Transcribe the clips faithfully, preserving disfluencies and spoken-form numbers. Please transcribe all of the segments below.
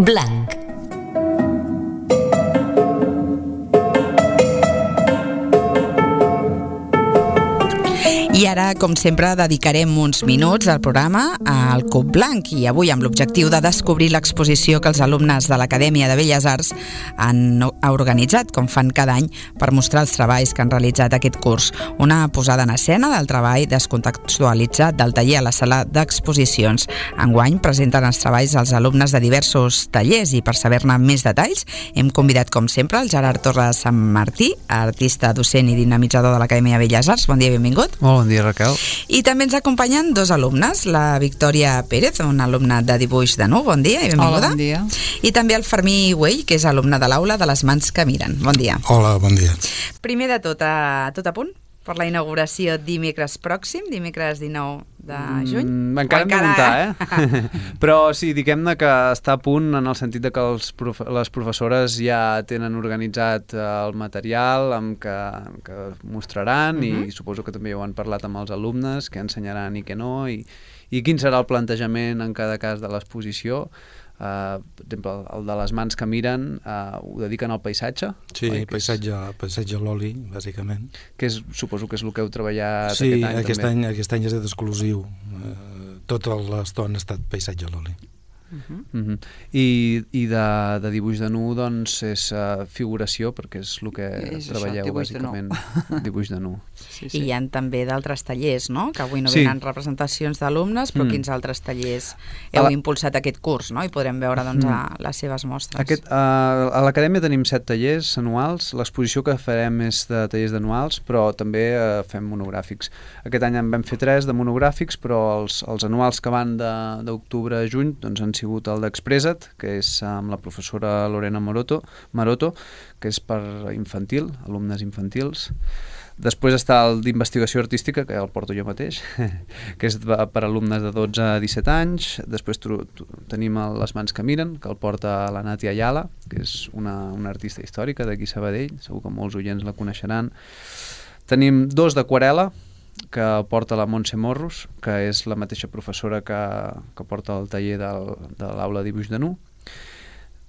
blanc. I ara, com sempre, dedicarem uns minuts al programa al Cub Blanc i avui amb l'objectiu de descobrir l'exposició que els alumnes de l'Acadèmia de Belles Arts han organitzat, com fan cada any, per mostrar els treballs que han realitzat aquest curs. Una posada en escena del treball descontextualitzat del taller a la sala d'exposicions. Enguany presenten els treballs als alumnes de diversos tallers i per saber-ne més detalls hem convidat, com sempre, el Gerard Torres Sant Martí, artista, docent i dinamitzador de l'Acadèmia de Belles Arts. Bon dia i benvingut. Molt bon dia, Raquel. I també ens acompanyen dos alumnes, la Victòria Pérez, una alumna de dibuix de nu, bon dia i benvinguda. Hola, bon dia. I també el Fermí Güell, que és alumne de l'aula de les mans que miren. Bon dia. Hola, bon dia. Primer de tot, a tot a punt per la inauguració dimecres pròxim, dimecres dinou de juny? Mm, encara hem de comptar, eh? Però sí, diguem-ne que està a punt en el sentit de que els profe les professores ja tenen organitzat el material amb que, que mostraran, uh-huh. i suposo que també ho han parlat amb els alumnes, què ensenyaran i què no, i, i quin serà el plantejament en cada cas de l'exposició. Uh, per exemple, el de les mans que miren uh, ho dediquen al paisatge? Sí, paisatge, paisatge a l'oli, bàsicament. Que és, suposo que és el que heu treballat sí, aquest any aquest també. any, aquest any és exclusiu. Uh, tota l'estona ha estat paisatge a l'oli. Uh-huh. Uh-huh. I, i de, de dibuix de nu, doncs, és uh, figuració, perquè és el que és treballeu, això, dibuix bàsicament. De dibuix de nu. Sí, sí. I hi ha també d'altres tallers, no? Que avui no sí. venen representacions d'alumnes, però mm. quins altres tallers heu la... impulsat aquest curs, no? I podrem veure, doncs, mm. a les seves mostres. Aquest, uh, a l'Acadèmia tenim set tallers anuals. L'exposició que farem és de tallers anuals, però també uh, fem monogràfics. Aquest any en vam fer tres de monogràfics, però els, els anuals que van d'octubre a juny doncs, han sigut el d'Expressa't, que és amb la professora Lorena Maroto, Maroto, que és per infantil, alumnes infantils. Després està el d'investigació artística, que el porto jo mateix, que és per alumnes de dotze a disset anys. Després tenim el Les mans que miren, que el porta la Nàtia Ayala, que és una, una artista històrica d'aquí Sabadell, segur que molts oients la coneixeran. Tenim dos d'aquarel·la, que porta la Montse Morros, que és la mateixa professora que, que porta el taller del, de l'aula de dibuix de nu.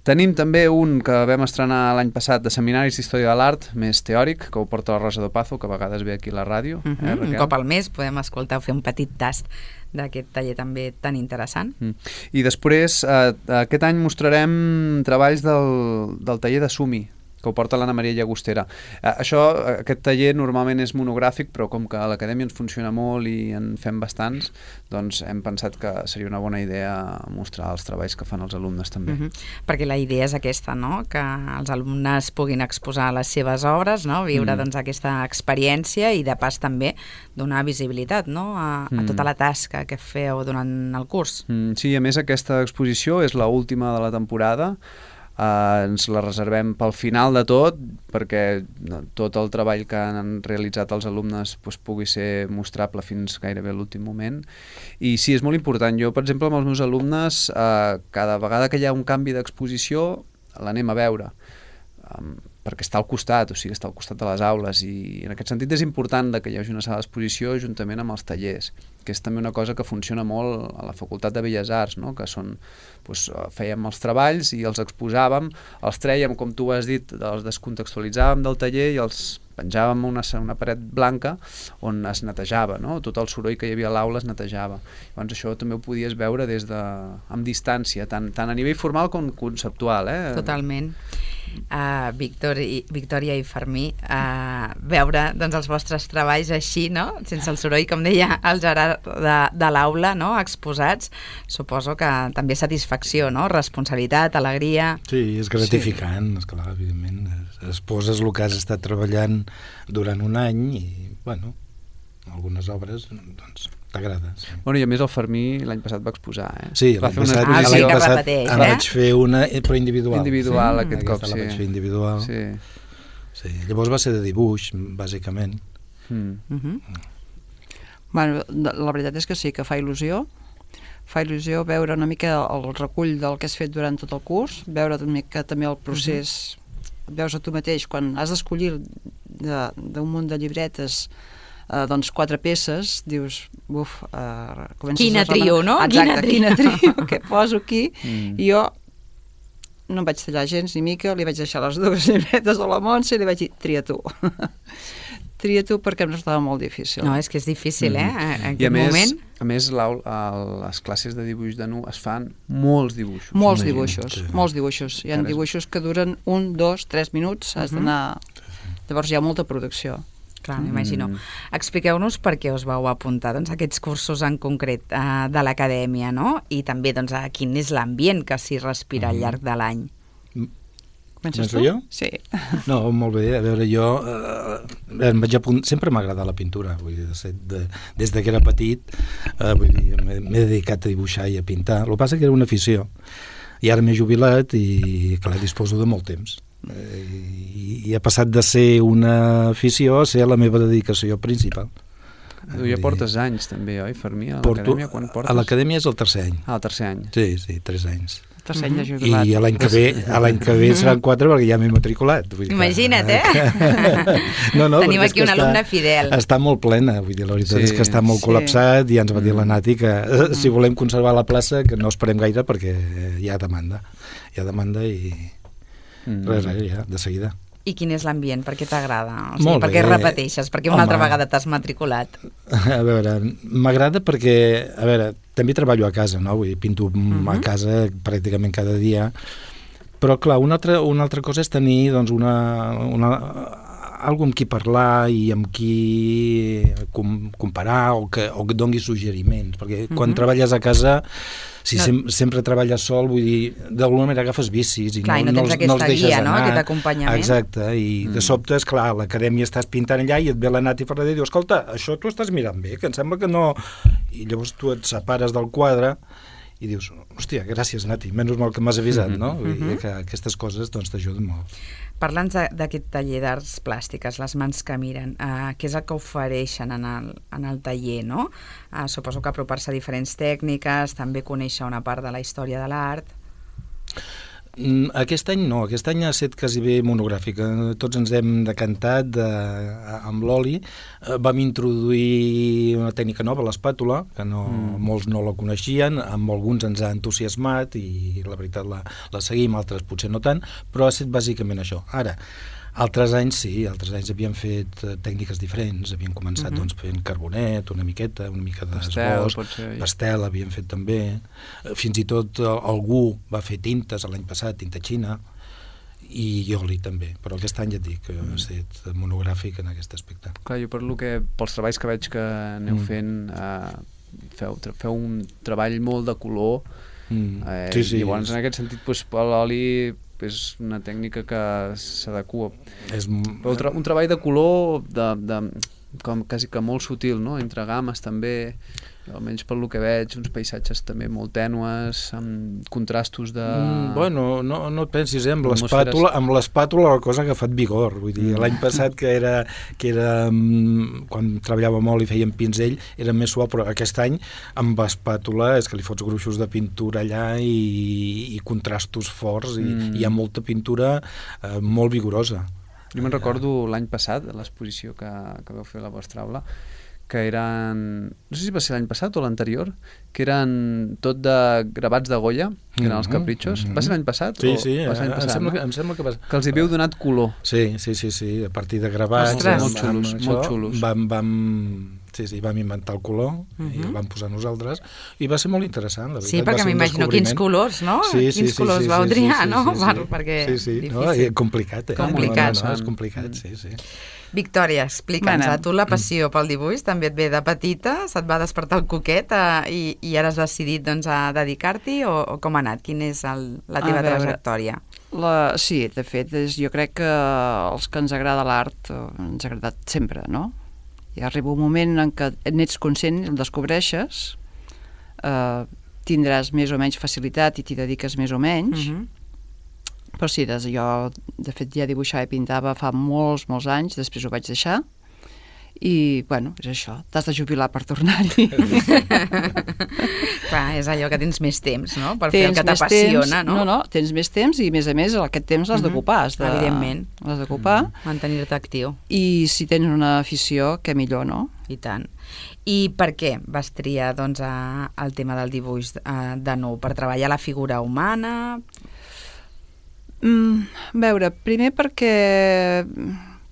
Tenim també un que vam estrenar l'any passat de seminaris d'història de l'art, més teòric, que ho porta la Rosa Dopazo, que a vegades ve aquí a la ràdio. Uh-huh. eh, un cop al mes podem escoltar o fer un petit tast d'aquest taller també tan interessant. Mm. I després, eh, aquest any mostrarem treballs del, del taller de Sumi, que ho porta l'Anna Maria Llagostera. Eh, això, aquest taller normalment és monogràfic, però com que a l'Acadèmia ens funciona molt i en fem bastants, doncs hem pensat que seria una bona idea mostrar els treballs que fan els alumnes també. Uh-huh. Perquè la idea és aquesta, no? Que els alumnes puguin exposar les seves obres, no? Viure mm. doncs, aquesta experiència i de pas també donar visibilitat, no? a, a tota la tasca que feu durant el curs. Mm, sí, a més aquesta exposició és l'última de la temporada. Uh, ens la reservem pel final de tot, perquè no, tot el treball que han realitzat els alumnes doncs, pugui ser mostrable fins gairebé l'últim moment. I sí, és molt important. Jo, per exemple, amb els meus alumnes, uh, cada vegada que hi ha un canvi d'exposició, l'anem a veure. Um, perquè està al costat, o sigui, està al costat de les aules, i en aquest sentit és important que hi hagi una sala d'exposició juntament amb els tallers, que és també una cosa que funciona molt a la Facultat de Belles Arts, no? Que són, doncs, fèiem els treballs i els exposàvem, els trèiem, com tu has dit, els descontextualitzàvem del taller i els penjàvem una, una paret blanca on es netejava, no? Tot el soroll que hi havia a l'aula es netejava. Llavors això també ho podies veure des de, amb distància, tant, tant a nivell formal com conceptual. Eh? Totalment. Uh, Victor i, Victòria i Fermí, uh, veure doncs, els vostres treballs així, no? Sense el soroll, com deia el Gerard, de, de l'aula, no? Exposats, suposo que també satisfacció, no? Responsabilitat, alegria... Sí, és gratificant, sí. Esclar, evidentment. Exposes el que has estat treballant durant un any i, bueno, algunes obres, doncs, t'agrada. Sí. Bueno, i a més el Fermí l'any passat va exposar, eh? Sí, l'any passat, ah, sí, l'any passat repeteix, eh? vaig fer una, però individual. Individual, sí? aquest Aquesta cop, sí. la vaig fer individual. Sí. Sí. Llavors va ser de dibuix, bàsicament. Mm. Mm-hmm. Bueno, la veritat és que sí, que fa il·lusió. Fa il·lusió veure una mica el recull del que has fet durant tot el curs, veure una mica també el procés... Mm-hmm. Veus a tu mateix, quan has d'escollir d'un munt de llibretes eh, doncs quatre peces, dius, buf, eh, comences quina a trio, no? Exacte, quina trio, què poso aquí? Mm. I jo no em vaig tallar gens ni mica, li vaig deixar les dues llibretes a la Montse i li vaig dir, tria tu. Tria tu perquè em resultava molt difícil. No, és que és difícil, eh, en I a aquest més, moment. a més l'aul- a les classes de dibuix de nu es fan molts dibuixos. Molts Imagina't, dibuixos, sí. molts dibuixos. Hi ha Encara és- dibuixos que duren un, dos, tres minuts, has d'anar... Llavors hi ha molta producció. Clar, m'imagino. Mm. Expliqueu-nos per què us vau apuntar doncs, a aquests cursos en concret eh, de l'acadèmia, no? I també doncs, a quin és l'ambient que s'hi respira al llarg de l'any. Comences Començo tu? jo? Sí. No, molt bé. A veure, jo eh, em vaig apunt... sempre m'ha agradat la pintura. Vull dir, de, set- de, des de que era petit eh, vull dir, m'he m'he dedicat a dibuixar i a pintar. El que passa que era una afició. I ara m'he jubilat i, clar, disposo de molt temps. Eh, i, I ha passat de ser una afició a ser la meva dedicació principal. Tu ja portes anys també, oi, Fermí, a Porto, l'acadèmia? Quan portes? a l'acadèmia és el tercer any. Ah, el tercer any. Sí, sí, tres anys. Tercer any de jubilat. I a l'any que ve, a l'any que ve seran quatre perquè ja m'he matriculat. Vull dir que- Imagina't, eh? No, no, Tenim perquè és aquí que un alumne fidel. Està molt plena, vull dir, la veritat Sí. és que està molt Sí. col·lapsat i ja ens va dir la Nati que eh, si volem conservar la plaça que no esperem gaire perquè hi ha demanda. Hi ha demanda i Mm. res, res, ja, de seguida. I quin és l'ambient? Per què t'agrada? O sigui, Molt per què bé. repeteixes? Per què una Home. altra vegada t'has matriculat? A veure, m'agrada perquè, a veure, també treballo a casa, no? Vull dir, pinto Mhm. a casa pràcticament cada dia, però clar, una altra, una altra cosa és tenir doncs, una, una, algú amb qui parlar i amb qui com, comparar o que, o que dongui suggeriments, perquè quan Mhm. treballes a casa, si No. sem sempre treballes sol, vull dir, d'alguna manera agafes vicis i Clar, i no no, tens els, aquesta no els deixes guia, no? anar. Aquest acompanyament. Exacte, i Mm. de sobte, és clar, a l'acadèmia estàs pintant allà i et ve la Nati Ferrer i diu, escolta, això tu estàs mirant bé, que em sembla que no... I llavors tu et separes del quadre i dius, hòstia, gràcies Nati, menys mal que m'has avisat, no? Vull dir Mhm. que aquestes coses doncs t'ajuden molt. Parla'ns de- d'aquest taller d'arts plàstiques, les mans que miren, uh, què és el que ofereixen en el, en el taller, no? Uh, suposo que apropar-se a diferents tècniques, també conèixer una part de la història de l'art. Mm, Aquest any no, aquest any ha estat quasi bé monogràfic. Eh, Tots ens hem decantat de, amb l'oli. Eh, Vam introduir una tècnica nova, l'espàtula, que no, mm. molts no la coneixien, amb alguns ens ha entusiasmat i la veritat la, la seguim, altres potser no tant, però ha estat bàsicament això. Ara, altres anys sí, altres anys havien fet eh, tècniques diferents, havien començat Mhm. doncs, fent carbonet, una miqueta, una mica Pastel, d'esbós, potser, oi? pastel havien fet també, Eh, fins i tot eh, algú va fer tintes l'any passat, tinta xina, i oli també, però aquest any ja et dic que ha estat monogràfic en aquest aspecte. Clar, jo per lo que, pels treballs que veig que aneu Mm. fent, eh, feu, tra- feu un treball molt de color, Mm. eh, sí, sí, i llavors és, en aquest sentit doncs, l'oli és una tècnica que s'adequa. és, Però un, tra un treball de color de, de, com quasi que molt sutil, no? Entre gammes també, almenys per lo que veig, uns paisatges també molt tènues, amb contrastos de... Mm, bueno, no, no et pensis, eh? amb Atmosferes. l'espàtula amb l'espàtula la cosa ha agafat vigor, vull dir, Mm. l'any passat que era, que era mm, quan treballava molt i fèiem pinzell era més suau, però aquest any amb espàtula és que li fots gruixos de pintura allà i, i contrastos forts i Mm. hi ha molta pintura eh, molt vigorosa. Jo me'n recordo l'any passat, a l'exposició que, que vau fer a la vostra aula, que eren, no sé si va ser l'any passat o l'anterior, que eren tot de gravats de Goya, que eren els Mhm, capritxos. mhm. Va ser l'any passat? Sí, o sí, va ser l'any em, passat, sembla no? que, em sembla que va... Que els hi havíeu donat color. Sí, sí, sí, sí, a partir de gravats... Ostres. Molt xulos, molt xulos. Vam, vam, sí, sí, vam inventar el color uh -huh. i el Mhm. vam posar nosaltres i va ser molt interessant, la veritat. Sí, va perquè ser un m'imagino quins descobriment. colors, no? Sí, sí, quins sí, colors sí, vau sí, triar, sí, no? sí, sí. Per, perquè Sí, sí, no, difícil. i complicat, eh? Complicat. No, no, no, és complicat, sí, sí. Victòria, explica'ns, Bueno. a tu la passió pel dibuix també et ve de petita, se't va despertar el coquet eh, i, i ara has decidit doncs, a dedicar-t'hi o, o com ha anat? Quina és el, la A teva veure, trajectòria? La, sí, de fet, és, jo crec que els que ens agrada l'art eh, ens ha agradat sempre, no? I arriba un moment en què n'ets conscient, el descobreixes, eh, tindràs més o menys facilitat i t'hi dediques més o menys, Mhm. però sí, des, jo de fet ja dibuixava i pintava fa molts, molts anys, després ho vaig deixar, i, bueno, és això, t'has de jubilar per tornar-hi. Clar, és allò que tens més temps, no? Per fer Tens el que més t'apassiona, temps, no? No, no, tens més temps i, a més a més, aquest temps l'has Mhm. d'ocupar. has de- Evidentment. L'has d'ocupar. Mantenir-te actiu, I si tens una afició, què millor, no? i tant. I per què vas triar doncs, a, el tema del dibuix eh, de nou? Per treballar la figura humana? Mm, a veure, primer perquè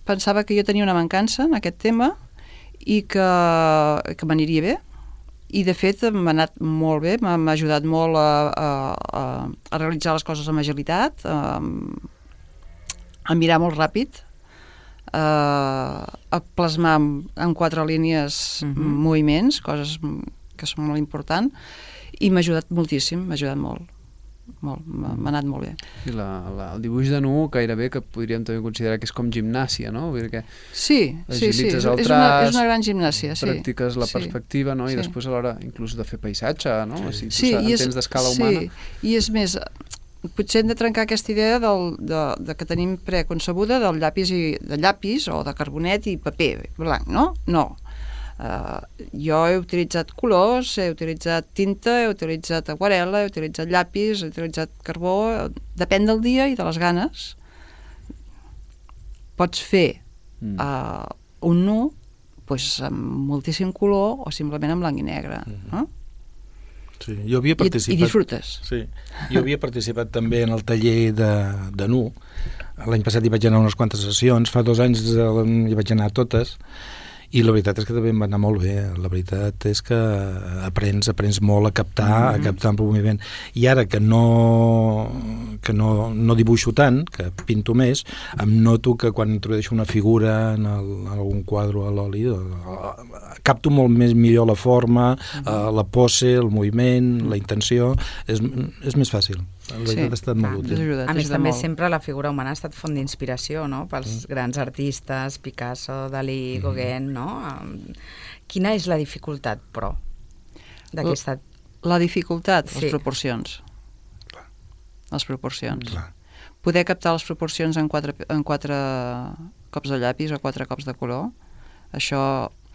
pensava que jo tenia una mancança en aquest tema i que, que m'aniria bé, i de fet m'ha anat molt bé, m'ha ajudat molt a, a, a, a realitzar les coses amb agilitat, a, a mirar molt ràpid, a, a plasmar en, en quatre línies uh-huh. moviments, coses que són molt importants, i m'ha ajudat moltíssim, m'ha ajudat molt. Molt, m'ha anat molt bé. I la, la, el dibuix de nu gairebé que podríem també considerar que és com gimnàsia, no? Vull dir que sí, sí, sí, és, el traç, és, una, és una gran gimnàsia, sí. Practiques la sí, perspectiva, no? I sí. després a l'hora inclús de fer paisatge, no? Sí, si tu sí entens d'escala humana. Sí, i és més, potser hem de trencar aquesta idea del, de, de que tenim preconcebuda del llapis, i, de llapis o de carbonet i paper blanc, no? No. Uh, jo he utilitzat colors, he utilitzat tinta, he utilitzat aquarel·la, he utilitzat llapis, he utilitzat carbó, depèn del dia i de les ganes. Pots fer mm. uh, un nu pues, amb moltíssim color o simplement en blanc i negre. Mm-hmm. no? Sí, jo havia participat... I, i disfrutes. Sí, jo havia participat també en el taller de, de nu. L'any passat hi vaig anar unes quantes sessions, fa dos anys hi vaig anar a totes, i la veritat és que també em va anar molt bé. La veritat és que aprens, aprens molt a captar, mm-hmm. a captar en moviment. I ara que no que no, no dibuixo tant, que pinto més, em noto que quan introdueixo una figura en, el, en algun quadre a l'oli, capto molt més millor la forma, mm-hmm. la pose, el moviment, mm-hmm. la intenció, és, és més fàcil. La veritat sí, ha estat molt útil. A més, també molt. Sempre la figura humana ha estat font d'inspiració, no?, pels mm. grans artistes, Picasso, Dalí, Gauguin, mm. no? Quina és la dificultat, però, d'aquesta... La dificultat? Sí. Les proporcions. Clar. Les proporcions. Clar. Poder captar les proporcions en quatre, en quatre cops de llapis o quatre cops de color, això...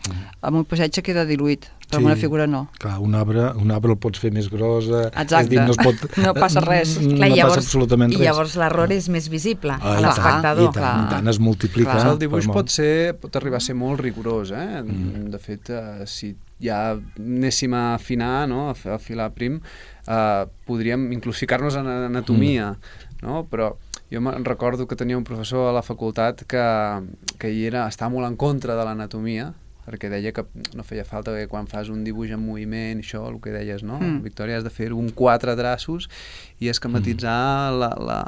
Mm. Amb un paisatge queda diluït, però sí, amb una figura no. Clar, un arbre, un arbre el pots fer més grossa. Exacte, és dir, no, es pot, no passa res. No clar, llavors, passa absolutament res. I llavors l'error és més visible ah, a l'espectador. I tant, i tant, es multiplica. Clar, el dibuix pot, ser, pot arribar a ser molt rigorós, eh? Mm. De fet, uh, si ja anéssim a afinar, no? a afilar prim, uh, podríem inclús ficar-nos en anatomia, mm. no? Però jo me'n recordo que tenia un professor a la facultat que, que hi era, estava molt en contra de l'anatomia, perquè deia que no feia falta que quan fas un dibuix en moviment, això, el que deies, no? Mm. Victòria, has de fer un quatre traços i esquematitzar mm. la, la,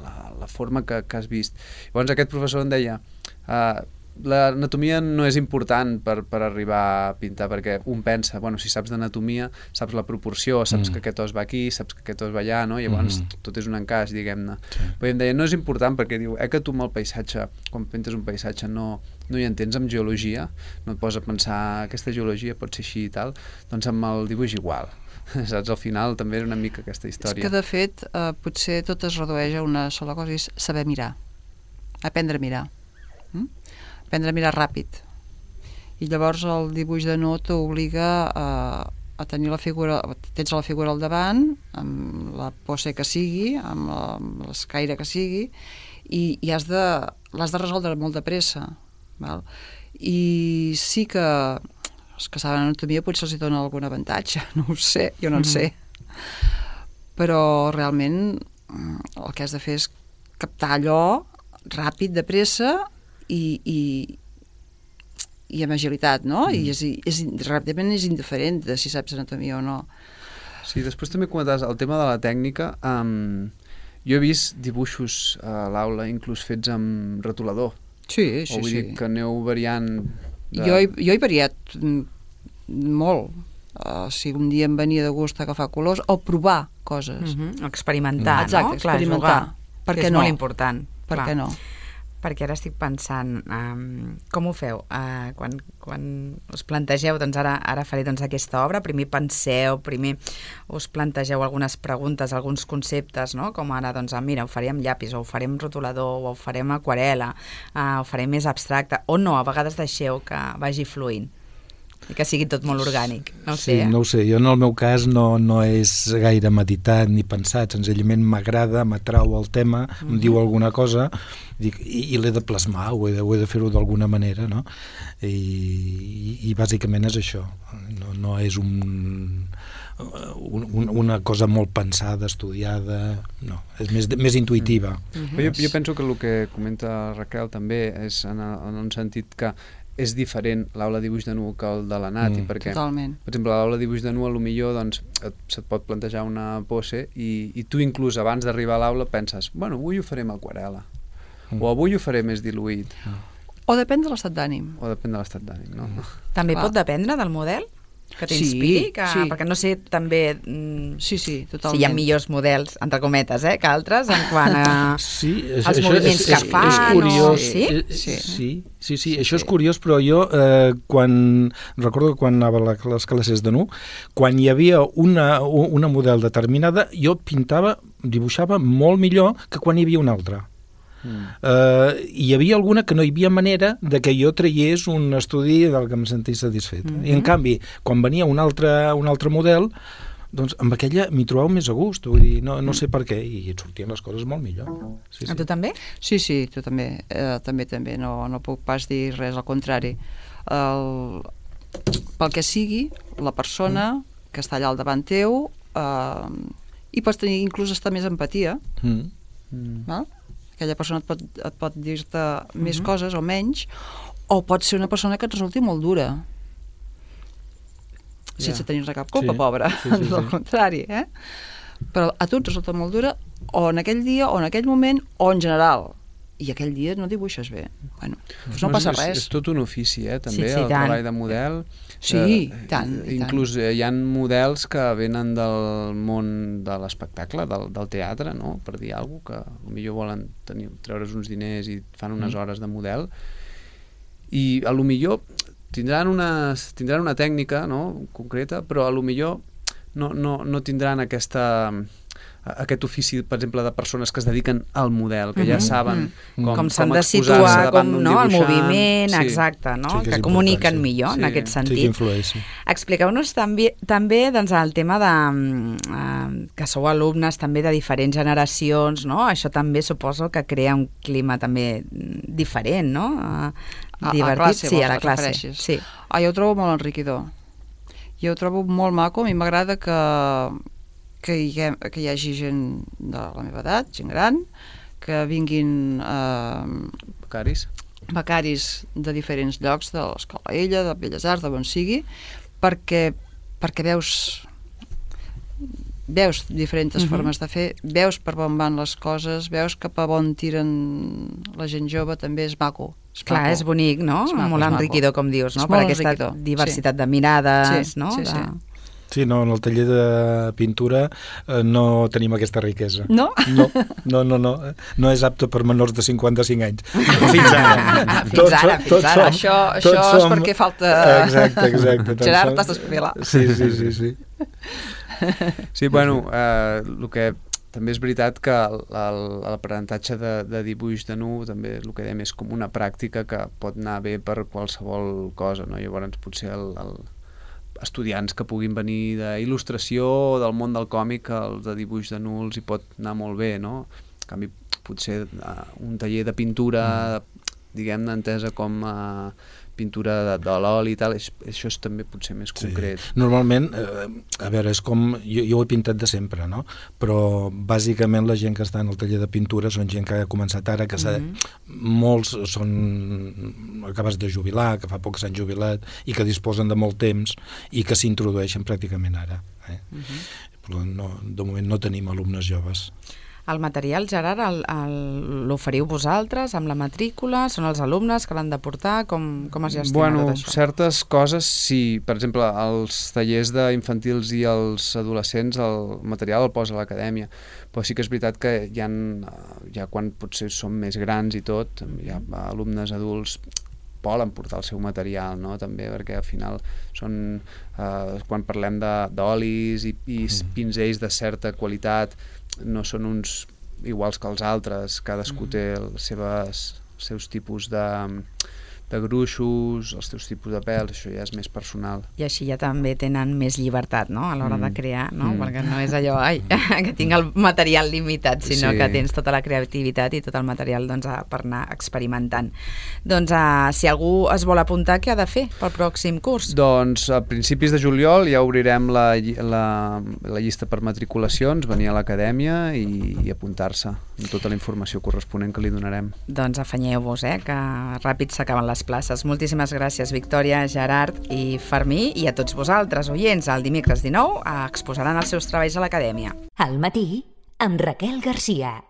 la, la forma que, que has vist. Llavors aquest professor em deia uh, l'anatomia no és important per, per arribar a pintar, perquè un pensa, bueno, si saps d'anatomia, saps la proporció, saps mm. que aquest os va aquí, saps que aquest os va allà, no? I llavors mm. tot és un encaix, diguem-ne. Sí. Però em deia, no és important, perquè diu, eh, que tu amb el paisatge, quan pintes un paisatge, no, no hi entens amb geologia, no et poses a pensar aquesta geologia pot ser així i tal, doncs amb el dibuix igual. Saps? Al final també era una mica aquesta història. És que de fet eh, potser tot es redueix a una sola cosa, és saber mirar, aprendre a mirar. Mm? Aprendre a mirar ràpid. I llavors el dibuix de nu t'obliga a, a tenir la figura, tens la figura al davant, amb la pose que sigui, amb, la, amb l'escaire que sigui, i, i has de, l'has de resoldre molt de pressa. Val? I sí que els que saben anatomia potser els hi dona algun avantatge, no ho sé, jo no en sé. Però realment el que has de fer és captar allò ràpid, de pressa, i, i, i amb agilitat, no? Mm. I és, és, ràpidament és indiferent de si saps anatomia o no. Sí, després també comentaves el tema de la tècnica. Um, jo he vist dibuixos a l'aula inclús fets amb retolador. Sí, sí, o vull sí. dir que aneu variant... De... Jo, he, jo he variat molt. Uh, si un dia em venia de gust agafar colors o provar coses. Mm-hmm. Experimentar, Exacte, no? experimentar. Clar, per què què és no? molt important. Per clar. què no? Perquè ara estic pensant, um, com ho feu? Uh, quan, quan us plantegeu, doncs ara, ara faré doncs, aquesta obra, primer penseu, primer us plantegeu algunes preguntes, alguns conceptes, no? Com ara, doncs, ah, mira, ho faré amb llapis, o ho faré amb rotulador, o ho faré amb aquarel·la, uh, ho faré més abstracte, o no, a vegades deixeu que vagi fluint i que sigui tot molt orgànic, no ho sí, sé. Eh? No ho sé, jo en el meu cas no, no és gaire meditat ni pensat, senzillament m'agrada, m'atrau el tema, mm-hmm. em diu alguna cosa dic, i, i l'he de plasmar, ho he de, ho he de fer-ho d'alguna manera, no? I, i, i bàsicament és això, no, no és un, un, un, una cosa molt pensada, estudiada, no, és més, més intuïtiva. Mm. Jo, jo penso que el que comenta Raquel també és en, en un sentit que és diferent l'aula de dibuix de nu que el de la Nati, mm. perquè, Totalment. per exemple, l'aula de dibuix de nu, potser doncs, et, se't pot plantejar una pose i, i tu inclús abans d'arribar a l'aula penses, bueno, avui ho faré amb aquarel·la, mm. o avui ho faré més diluït. Mm. O depèn de l'estat d'ànim. O depèn de l'estat d'ànim, no? Mm. També Clar. pot dependre del model? Que t'inspiri? Sí, que... sí. Perquè no sé també mm, Sí, sí, totalment. si hi ha millors models, entre cometes, eh, que altres, en quant a sí, és, els això moviments és, que és, fan. És curiós. O... Sí? Eh, Sí. Sí, sí, sí, això és curiós, però jo, eh, quan, recordo que quan anava a les classes de nu, quan hi havia una, una model determinada, jo pintava, dibuixava molt millor que quan hi havia una altra. Mm. Uh, hi havia alguna que no hi havia manera de que jo traiés un estudi del que em sentís satisfet. Mm-hmm. I en canvi, quan venia un altre, un altre model, doncs amb aquella m'hi trobava més a gust, vull dir, no, no sé per què, i et sortien les coses molt millor. Sí, sí. A tu també? Sí, sí, tu també, eh, també, també, no, no puc pas dir res, al contrari. El, pel que sigui, la persona mm. que està allà al davant teu, eh, i pots tenir, inclús estar més empatia, Mm. Mm. val? Aquella persona et pot, et pot dir-te mm-hmm. més coses o menys, o pot ser una persona que et resulti molt dura, sense Yeah. tenir-ne cap culpa, Sí. pobra, Sí, sí, sí. al contrari, eh? Però a tu et resulta molt dura, o en aquell dia, o en aquell moment, o en general. I aquell dia no dibuixes bé. Bueno, doncs no és, passa és, res. És tot un ofici, eh, també, Sí, sí, el tant. treball de model. Sí, eh, tant, i Inclús eh, hi ha models que venen del món de l'espectacle, del, del teatre, no?, per dir alguna cosa, que potser volen tenir, treure's uns diners i fan unes hores de model, i a lo millor tindran una, tindran una tècnica, no?, concreta, però a lo millor no, no, no tindran aquesta... aquest ofici, per exemple, de persones que es dediquen al model, que ja saben mm-hmm. com, com s'han de exposar-se situar, davant com, d'un no, el dibuixant. moviment, Sí. exacte, no? Sí, que és que important, comuniquen sí. millor Sí. en aquest Sí sentit. que influeix, sí. Expliqueu-nos també, també doncs, el tema de uh, que sou alumnes també de diferents generacions, no? Això també suposo que crea un clima també diferent, no? Uh, A- divertit, a classe, sí, vols, a la et classe. refereixes? Sí. Ah, jo ho trobo molt enriquidor. Jo ho trobo molt maco, a mi m'agrada que, que, hi ha, que hi hagi gent de la meva edat, gent gran, que vinguin eh, Becaris. becaris de diferents llocs, de l'Escola Ella, de Belles Arts, de on sigui, perquè, perquè veus veus diferents Mhm. formes de fer, veus per on van les coses, veus cap a on tiren la gent jove, també és maco. És Clar, maco. és bonic, no? És maco, molt és maco. enriquidor, com dius, no? És Per molt aquesta enriquidor, diversitat de mirades, Sí, no? sí, De... sí. Sí, no, en el taller de pintura eh, no tenim aquesta riquesa. No? No, no, no, no. No és apte per menors de cinquanta-cinc anys. Fins ara. Fins ara, fins ara. Això, això és perquè falta... Exacte, exacte. Tots Gerard, som- t'has d'espavilar. Sí, sí, sí, sí. Sí, bueno, eh, el que també és veritat que el- el- l'aprenentatge de, de dibuix de nu també el que dèiem és com una pràctica que pot anar bé per qualsevol cosa, no? Llavors potser el, el estudiants que puguin venir d'il·lustració o del món del còmic, el de dibuix de nu els hi pot anar molt bé, no? En canvi, potser uh, un taller de pintura, diguem-ne, entesa com uh, pintura de, de l'oli i tal, és, això és també potser més concret. Sí. Normalment, eh, a veure, és com... Jo, jo ho he pintat de sempre, no? Però bàsicament la gent que està en el taller de pintura són gent que ha començat ara, que mm-hmm. molts són acabats de jubilar, que fa poc s'han jubilat i que disposen de molt temps i que s'introdueixen pràcticament ara. Eh? Mm-hmm. Però no, de moment no tenim alumnes joves. El material, Gerard, el, el, l'oferiu vosaltres amb la matrícula? Són els alumnes que l'han de portar? Com, com es gestiona bueno, tot això? certes coses, sí. Per exemple, els tallers d'infantils i els adolescents, el material el posa l'acadèmia. Però sí que és veritat que hi ha, ja quan potser som més grans i tot, hi ha alumnes adults volen portar el seu material, no? També, perquè al final són, eh, quan parlem d'olis i, i pinzells de certa qualitat, no són uns iguals que els altres, cadascú té els seves, seus tipus de, de gruixos, els teus tipus de pèls, això ja és més personal. I així ja també tenen més llibertat, no?, a l'hora mm. de crear, no? Mm. Perquè no és allò, ai, que tinc el material limitat, sinó sí. que tens tota la creativitat i tot el material, doncs, per anar experimentant. Doncs, uh, si algú es vol apuntar, què ha de fer pel pròxim curs? Doncs, a principis de juliol ja obrirem la, la, la llista per matriculacions, venir a l'acadèmia i, i apuntar-se amb tota la informació corresponent que li donarem. Doncs afanyeu-vos, eh, que ràpid s'acaben les places. Moltíssimes gràcies, Victòria, Gerard i Fermí, i a tots vosaltres, oients. El dimecres dinou exposaran els seus treballs a l'acadèmia. Al matí, amb Raquel Garcia.